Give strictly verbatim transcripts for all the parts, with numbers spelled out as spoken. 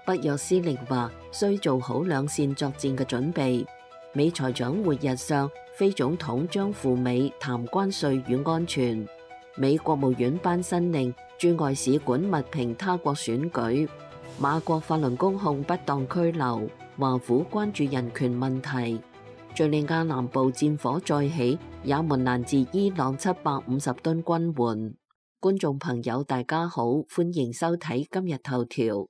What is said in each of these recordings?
北約司令話需做好兩線作戰嘅準備。美財長會日上，非總統將赴美談關稅與安全。美國務院頒新令，駐外使館密評他國選舉。馬國法輪公控不當拘留，華府關注人權問題。敘利亞南部戰火再起，也門攔截伊朗七百五十噸軍援。觀眾朋友大家好，歡迎收睇今日頭條。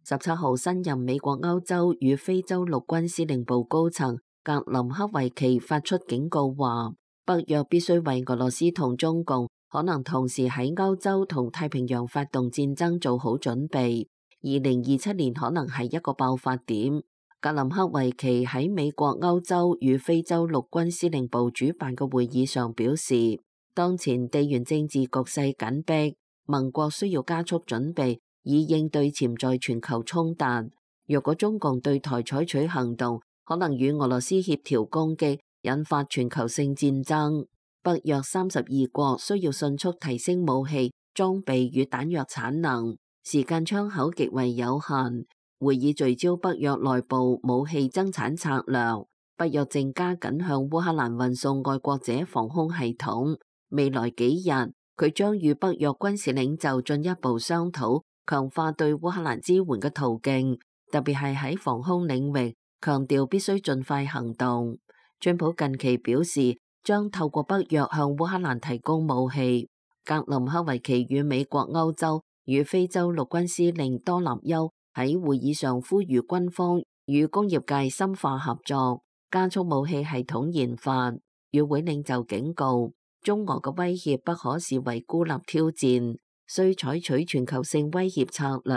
十七號新任美國歐洲與非洲陸軍司令部高層格林克維奇發出警告話，北約必須為俄羅斯同中共可能同時喺歐洲同太平洋發動戰爭做好準備。二零二七年可能係一個爆發點。格林克維奇喺美國歐洲與非洲陸軍司令部主辦嘅會議上表示，當前地緣政治局勢緊迫，盟國需要加速準備，以應對潛在全球衝突。若果中共對台採取行動，可能與俄羅斯協調攻擊，引發全球性戰爭。北約三十二國需要迅速提升武器、裝備與彈藥產能，時間窗口極為有限。會議聚焦北約內部武器增產策略。北約正加緊向烏克蘭運送愛國者防空系統。未來幾日，佢將與北約軍事領袖進一步商討強化對烏克蘭支援嘅途徑，特別係喺防空領域，強調必須盡快行動。川普近期表示，將透過北約向烏克蘭提供武器。格林克維奇與美國歐洲與非洲陸軍司令多納丘喺會議上呼籲軍方與工業界深化合作，加速武器系統研發。與會領袖警告，中俄嘅威脅不可視為孤立挑戰，需採取全球性威脅策略。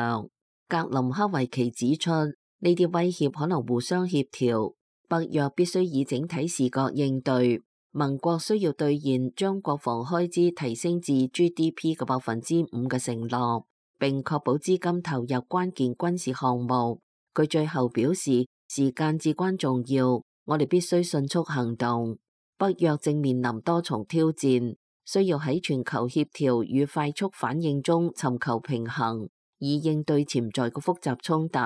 格林克維奇指出，呢啲威脅可能互相協調，北約必須以整體視覺應對。盟國需要兌現將國防開支提升至 G D P 嘅百分之五嘅承諾，並確保資金投入關鍵軍事項目。佢最後表示，時間至關重要，我哋必須迅速行動。北約正面臨多重挑戰，需要喺全球協調與快速反應中尋求平衡，以應對潛在嘅複雜衝突。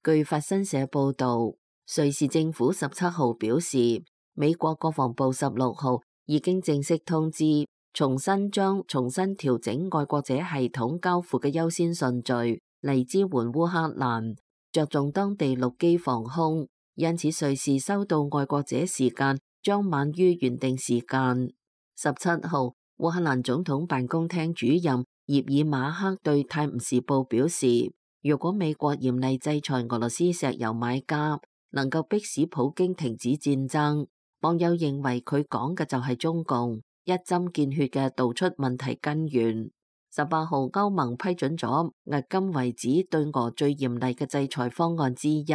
據法新社報導，瑞士政府十七號表示，美國國防部十六號已經正式通知，重新將重新調整愛國者系統交付嘅優先順序嚟支援烏克蘭，着重當地陸基防空，因此瑞士收到愛國者時間將晚於原定時間。十七號，烏克蘭總統辦公廳主任葉爾馬克對泰晤士報表示，如果美國嚴厲制裁俄羅斯石油買家，能夠迫使普京停止戰爭。網友認為佢講嘅就係中共，一針見血嘅道出問題根源。十八號，歐盟批准咗迄今為止對俄最嚴厲嘅制裁方案之一。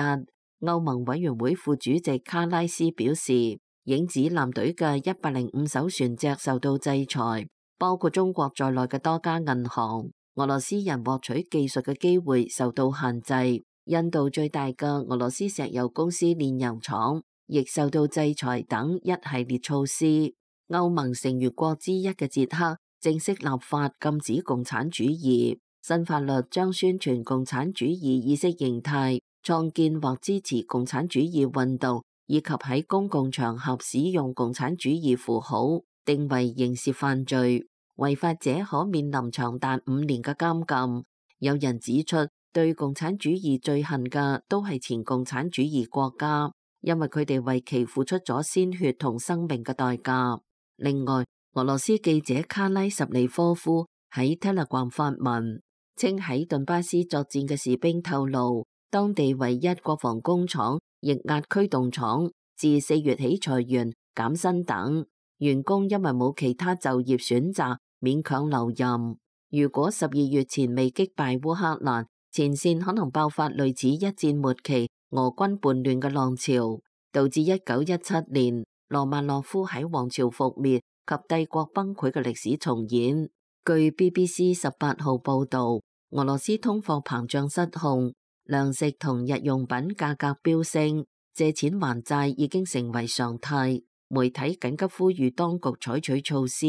歐盟委員會副主席卡拉斯表示，影子艦隊嘅一百零五艘船隻受到制裁，包括中國在內嘅多家銀行。俄羅斯人獲取技術嘅機會受到限制。印度最大嘅俄羅斯石油公司煉油廠亦受到制裁等一系列措施。歐盟成員國之一嘅捷克正式立法禁止共產主義，新法律將宣傳共產主義意識形態，創建或支持共產主義運動，以及喺公共場合使用共產主義符號，定為刑事犯罪，違法者可面臨長達五年嘅監禁。有人指出，對共產主義最恨嘅都係前共產主義國家，因為佢哋為其付出咗鮮血同生命嘅代價。另外，俄羅斯記者卡拉什尼科夫喺 Telegram 發文，稱喺頓巴斯作戰嘅士兵透露，當地唯一國防工廠液壓驅動廠自四月起裁員、減薪等，員工因為冇其他就業選擇，勉強留任。如果十二月前未擊敗烏克蘭，前線可能爆發類似一戰末期俄軍叛亂嘅浪潮，導致一九一七年羅曼諾夫喺王朝覆滅及帝國崩潰嘅歷史重演。據 B B C 十八號報道，俄羅斯通貨膨脹失控，糧食同日用品價格飆升，借錢還債已經成為常態。媒體緊急呼籲當局採取措施。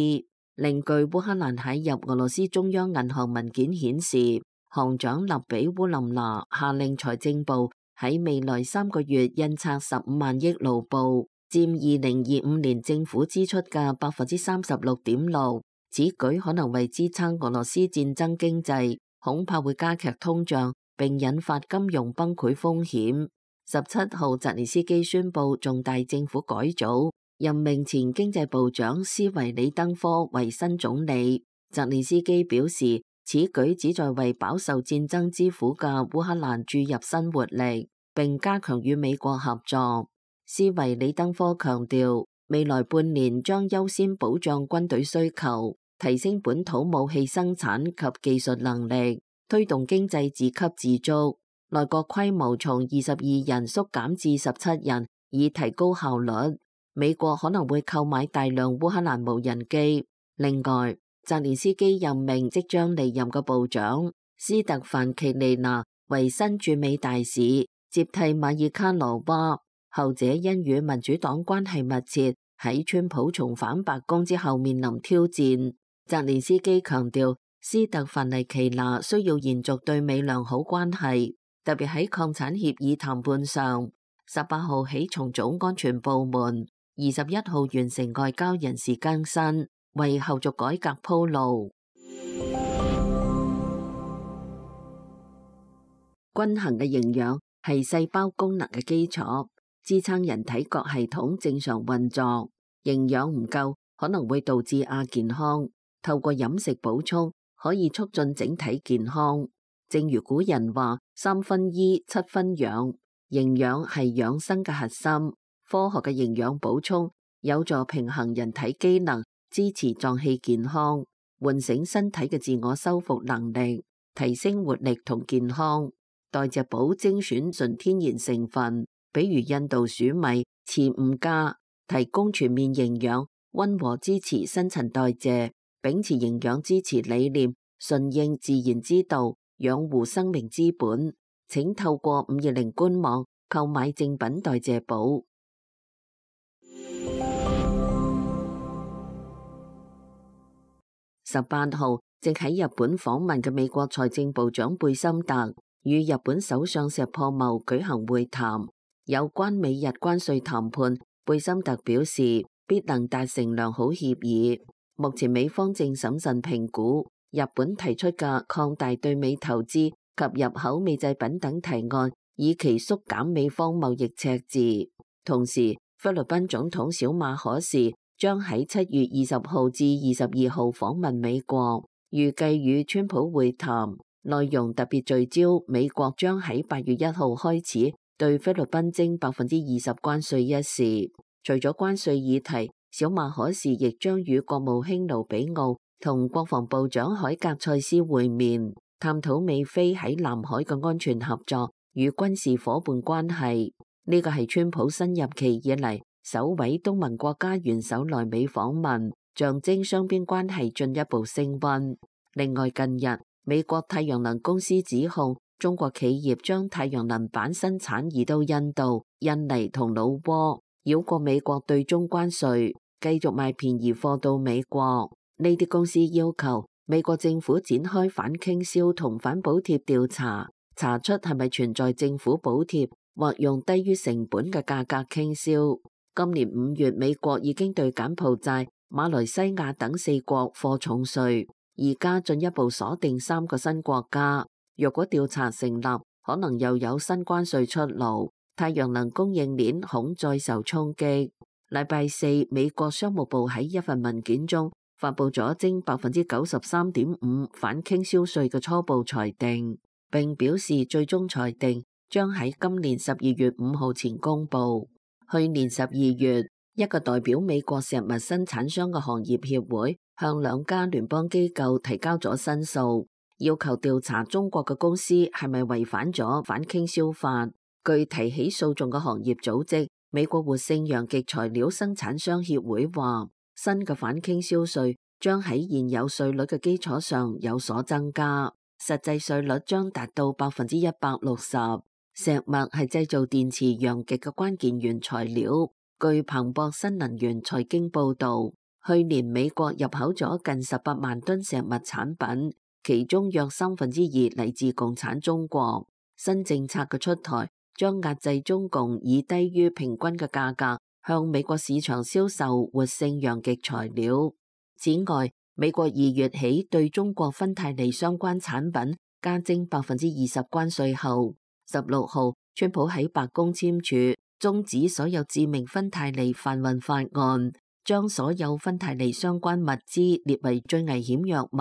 另據烏克蘭喺入俄羅斯中央銀行文件顯示，行長勒比烏林娜下令財政部喺未來三個月印刷十五萬億盧布，佔二零二五年政府支出嘅百分之三十六點六。此舉可能為支撐俄羅斯戰爭經濟，恐怕會加劇通脹並引發金融崩潰風險。十七號，澤連斯基宣布重大政府改組，任命前經濟部長斯維里登科為新總理。澤連斯基表示，此舉旨在為飽受戰爭之苦嘅烏克蘭注入新活力，並加強與美國合作。斯維里登科強調，未來半年將優先保障軍隊需求，提升本土武器生產及技術能力，推動經濟自給自足。內閣規模從二十二人縮減至十七人，以提高效率。美國可能會購買大量烏克蘭無人機。另外，澤連斯基任命即將離任嘅部長斯特凡奇尼娜為新駐美大使，接替馬爾卡羅娃。後者因與民主黨關係密切，喺川普重返白宮之後面臨挑戰。澤連斯基強調，斯特凡尼奇娜需要延續對美良好關係，特別喺礦產協議談判上。十八號起重組安全部門，二十一號完成外交人事更新，為後續改革鋪路。均衡嘅營養係細胞功能嘅基礎，支撐人體各系統正常運作。營養唔夠可能會導致亞健康，透過飲食補充可以促進整體健康。正如古人話：三分醫，七分養。營養係養生嘅核心。科學嘅營養補充有助平衡人體機能，支持臟器健康，喚醒身體嘅自我修復能力，提升活力同健康。代謝寶精選純天然成分，比如印度黍米、慈吳加，提供全面營養，溫和支持新陳代謝，秉持營養支持理念，順應自然之道，養護生命之本。請透過五二零官網購買正品代謝寶。十八號，正喺日本訪問嘅美國財政部長貝森特與日本首相石破茂舉行會談，有關美日關稅談判，貝森特表示必能達成良好協議。目前美方正審慎評估日本提出嘅擴大對美投資及入口美製品等提案，以期縮減美方貿易赤字。同時，菲律賓總統小馬可士將喺七月二十號至二十二號訪問美國，預計與川普會談，內容特別聚焦美國將喺八月一號開始對菲律賓徵百分之二十關稅一事。除咗關稅議題，小馬可士亦將與國務卿盧比奧同國防部長海格塞斯會面，探討美菲喺南海嘅安全合作與軍事夥伴關係。呢個係川普新任期以嚟首位東盟國家元首來美訪問，象徵雙邊關係進一步升溫。另外，近日美國太陽能公司指控中國企業將太陽能板生產移到印度、印尼同老撾，繞過美國對中關稅，繼續賣便宜貨到美國。呢啲公司要求美國政府展開反傾銷同反補貼調查，查出係咪存在政府補貼或用低於成本嘅價格傾銷。今年五月，美國已經對柬埔寨、馬來西亞等四國課重稅，而家進一步鎖定三個新國家。若果調查成立，可能又有新關稅出爐，太陽能供應鏈恐再受衝擊。禮拜四，美國商務部喺一份文件中發布咗徵百分之九十三點五反傾銷稅嘅初步裁定，並表示最終裁定將喺今年十二月五號前公佈。去年十二月，一個代表美國石墨生產商嘅行業協會向兩家聯邦機構提交咗申訴，要求調查中國嘅公司係咪違反咗反傾銷法。據提起訴訟嘅行業組織美國活性陽極材料生產商協會話，新嘅反傾銷稅將喺現有稅率嘅基礎上有所增加，實際稅率將達到百分之一百六十。石墨係製造電池陽極嘅關鍵原材料。據彭博新能源財經報導，去年美國入口咗近十八萬噸石墨產品，其中約三分之二嚟自共產中國。新政策嘅出台將壓制中共以低於平均嘅價格向美國市場銷售活性陽極材料。此外，美國二月起對中國芬太尼相關產品加徵百分之二十關稅後，十六號，川普喺白宮簽署終止所有致命芬太尼販運法案，將所有芬太尼相關物資列為最危險藥物，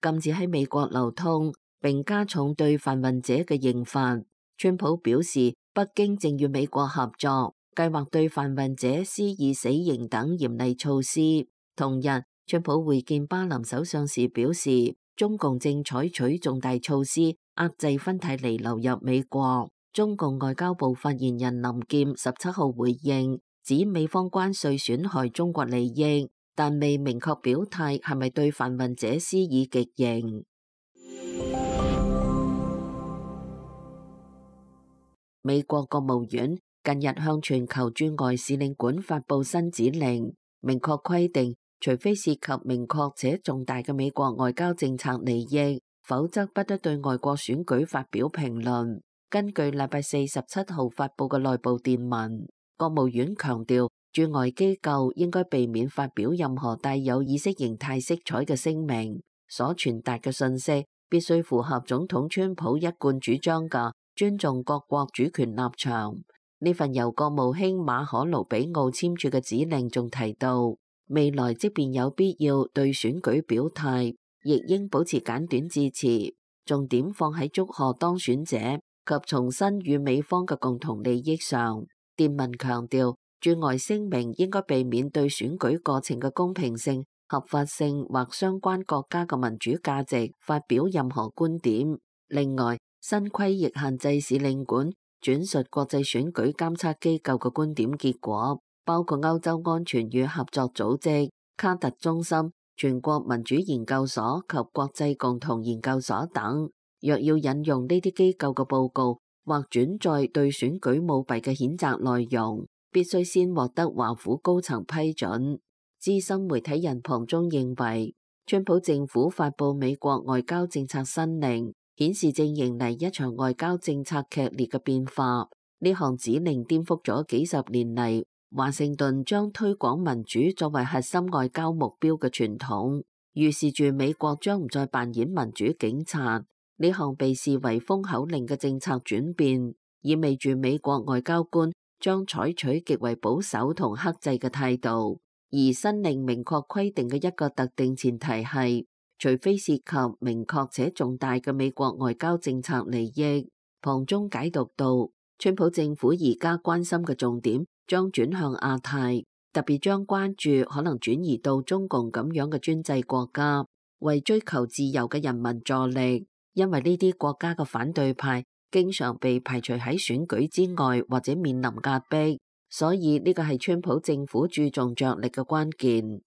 禁止喺美國流通，並加重對販運者嘅刑罰。川普表示，北京正與美國合作，計劃對販運者施以死刑等嚴厲措施。同日，川普會見巴林首相時表示，中共正採取重大措施壓制芬太尼流入美國。中共外交部發言人林劍十七號回應，指美方關稅損害中國利益，但未明確表態係咪對販運者施以極刑。美國國務院近日向全球駐外使領館發布新指令，明確規定，除非涉及明確且重大嘅美國外交政策利益，否則不得對外國選舉發表評論。根據禮拜四十七號發布嘅內部電文，國務院強調，駐外機構應該避免發表任何帶有意識形態色彩嘅聲明，所傳達嘅信息必須符合總統川普一貫主張嘅尊重各國主權立場。呢份由國務卿馬可盧比奧簽署嘅指令仲提到，未來即便有必要對選舉表態，亦應保持簡短致辭，重點放喺祝賀當選者及重申與美方嘅共同利益上。電文強調，駐外聲明應該避免對選舉過程嘅公平性、合法性或相關國家嘅民主價值發表任何觀點。另外，新規亦限制使領館轉述國際選舉監測機構嘅觀點結果，包括歐洲安全與合作組織、卡特中心、全國民主研究所及國際共同研究所等。若要引用呢啲機構嘅報告或轉載對選舉舞弊嘅譴責內容，必須先獲得華府高層批准。資深媒體人龐中認為，川普政府發布美國外交政策新令，顯示正迎嚟一場外交政策劇烈嘅變化。呢項指令顛覆咗幾十年嚟華盛頓將推廣民主作為核心外交目標嘅傳統，預示住美國將唔再扮演民主警察。呢項被視為封口令嘅政策轉變，意味住美國外交官將採取極為保守同克制嘅態度。而新令明確規定嘅一個特定前提係，除非涉及明確且重大嘅美國外交政策利益。旁中解讀到，川普政府而家關心嘅重點將轉向亞太，特別將關注可能轉移到中共咁樣嘅專制國家，為追求自由嘅人民助力。因為呢啲國家嘅反對派經常被排除喺選舉之外，或者面臨壓迫，所以呢個係川普政府注重着力嘅關鍵。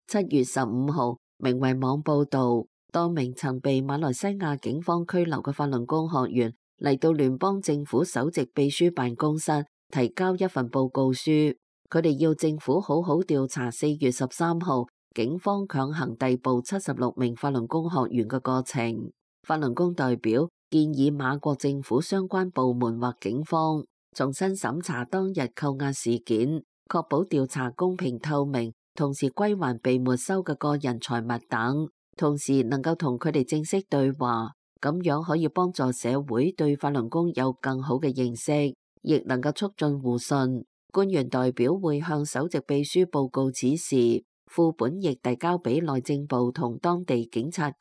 七月十五號，明衛網報道，多名曾被馬來西亞警方拘留嘅法輪功學員嚟到聯邦政府首席秘書辦公室提交一份報告書。佢哋要政府好好調查四月十三號警方強行逮捕七十六名法輪功學員嘅過程。法輪功代表建議馬國政府相關部門或警方重新審查當日扣押事件，確保調查公平透明，同時歸還被沒收嘅個人財物等，同時能夠同佢哋正式對話，咁樣可以幫助社會對法輪功有更好嘅認識，亦能夠促進互信。官員代表會向首席秘書報告此事，副本亦遞交俾內政部同當地警察局。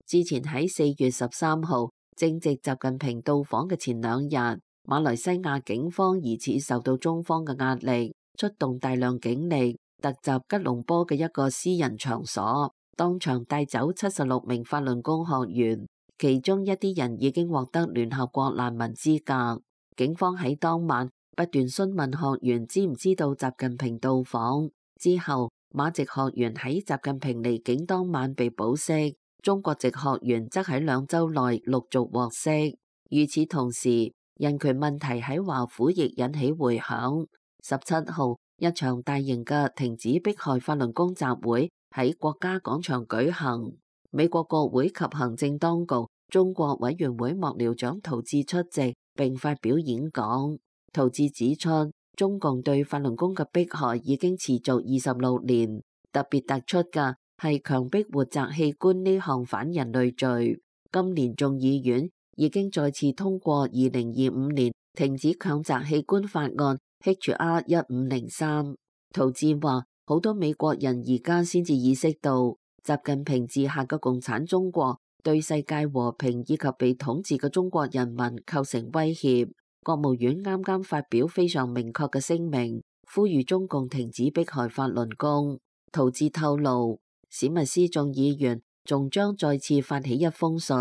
之前喺四月十三號，正值習近平到訪嘅前兩日，馬來西亞警方疑似受到中方嘅壓力，出動大量警力，突襲吉隆坡嘅一個私人場所，當場帶走七十六名法輪功學員，其中一啲人已經獲得聯合國難民資格。警方喺當晚不斷詢問學員知唔知道習近平到訪，之後馬籍學員喺習近平離境當晚被保釋，中國籍學員則喺兩週內陸續獲釋。與此同時，人權問題喺華府亦引起迴響。十七號，一場大型嘅停止迫害法輪功集會喺國家廣場舉行。美國國會及行政當局中國委員會幕僚長陶志出席並發表演講。陶志指出，中共對法輪功嘅迫害已經持續二十六年，特別突出嘅係強迫活摘器官呢項反人類罪。今年眾議院已經再次通過二零二五年停止強摘器官法案 H R 一五零三。陶志話，好多美國人而家先至意識到，習近平治下嘅共產中國對世界和平以及被統治嘅中國人民構成威脅。國務院啱啱發表非常明確嘅聲明，呼籲中共停止迫害法輪功。陶志透露，史密斯眾議員仲將再次發起一封信，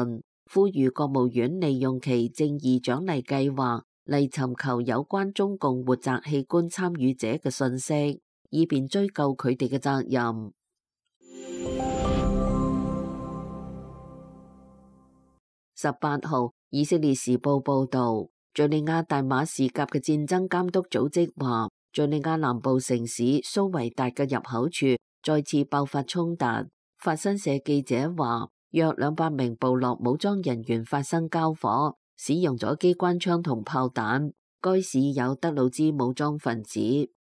呼籲國務院利用其正義獎勵計劃嚟尋求有關中共活摘器官參與者嘅信息，以便追究佢哋嘅責任。十八號，以色列時報報導，敘利亞大馬士革嘅戰爭監督組織話，敘利亞南部城市蘇維達嘅入口處再次爆發衝突。法新社記者話，約兩百名部落武裝人員發生交火，使用咗機關槍同炮彈。該市有德魯茲武裝分子。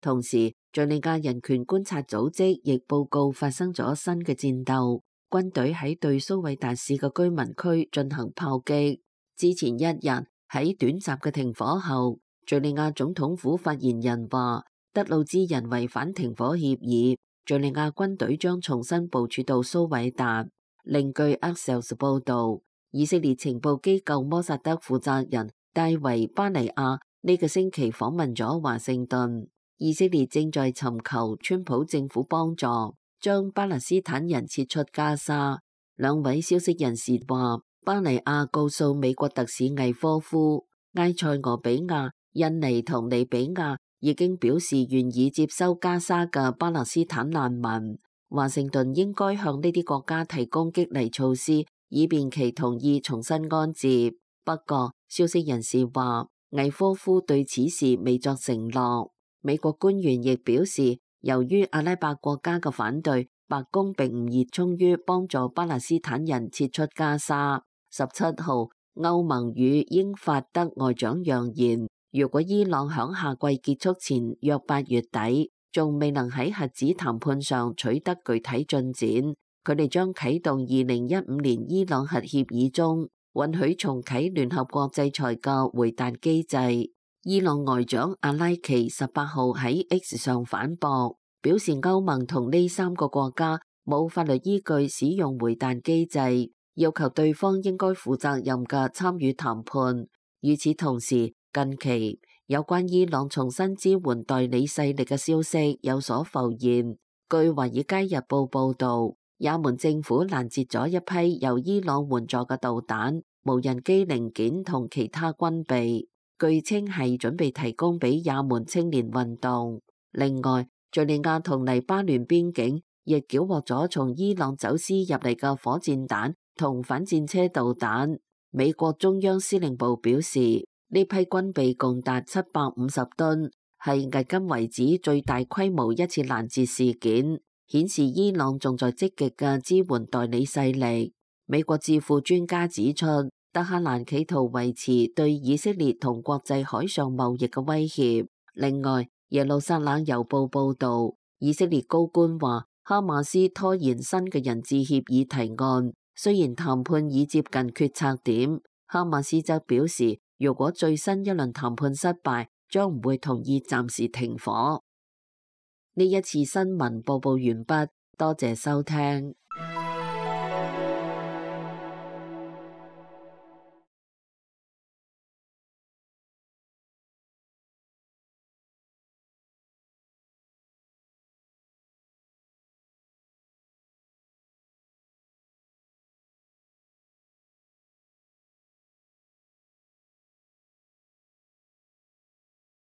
同時，敘利亞人權觀察組織亦報告發生咗新嘅戰鬥，軍隊喺對蘇維達市嘅居民區進行炮擊。之前一日喺短暫嘅停火後，敘利亞總統府發言人話，德魯茲人違反停火協議，敘利亞軍隊將重新部署到蘇維達。另據 Axios 報導，以色列情報機構摩薩德負責人戴維巴尼亞呢個星期訪問咗華盛頓。以色列正在尋求川普政府幫助，將巴勒斯坦人撤出加沙。兩位消息人士話，巴尼亞告訴美國特使魏科夫，埃塞俄比亞、印尼同利比亞已經表示願意接收加沙嘅巴勒斯坦難民。華盛頓應該向呢啲國家提供激勵措施，以便其同意重新安置。不過，消息人士話，魏科夫對此事未作承諾。美國官員亦表示，由於阿拉伯國家嘅反對，白宮並唔熱衷於幫助巴勒斯坦人撤出加沙。十七號，歐盟與英法德外長揚言，如果伊朗響夏季結束前約八月底仲未能喺核子談判上取得具體進展，佢哋將啟動二零一五年伊朗核協議中允許重啟聯合國制裁嘅回彈機制。伊朗外長阿拉奇十八號喺 X 上反駁，表示歐盟同呢三個國家冇法律依據使用回彈機制，要求對方應該負責任嘅參與談判。與此同時，近期有關伊朗重新支援代理勢力嘅消息有所浮現。據《華爾街日報》報導，也門政府攔截咗一批由伊朗援助嘅導彈、無人機零件同其他軍備，據稱係準備提供俾也門青年運動。另外，敘利亞同黎巴嫩邊境亦繳獲咗從伊朗走私入嚟嘅火箭彈同反戰車導彈。美國中央司令部表示，呢批軍備共達七百五十噸，係迄今為止最大規模一次攔截事件，顯示伊朗仲在積極嘅支援代理勢力。美國智庫專家指出，德黑蘭企圖維持對以色列同國際海上貿易嘅威脅。另外，耶路撒冷郵報報導，以色列高官話，哈馬斯拖延新嘅人質協議提案，雖然談判已接近決策點，哈馬斯則表示，如果最新一輪談判失敗，將唔會同意暫時停火。呢一次新聞播報完畢，多謝收聽。